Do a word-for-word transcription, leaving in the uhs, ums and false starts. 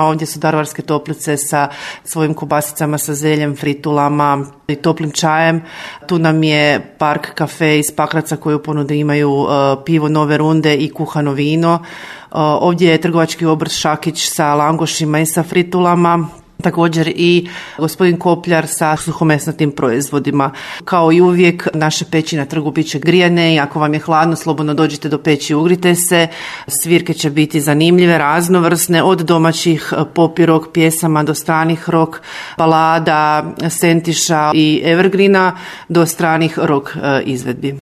A ovdje su Daruvarske toplice sa svojim kobasicama, sa zeljem, fritulama i toplim čajem. Tu nam je Park kafe iz Pakraca koji u ponudi imaju uh, pivo Nove Runde i kuhano vino. Uh, ovdje je trgovački obrt Šakić sa langošima i sa fritulama. Također i gospodin Kopljar sa suhomesnatim proizvodima. Kao i uvijek, naše peći na trgu bit će grijane i ako vam je hladno, slobodno dođite do peći i ugrite se. Svirke će biti zanimljive, raznovrsne, od domaćih pop i rock pjesama do stranih rock balada, sentiša i evergreena do stranih rock izvedbi.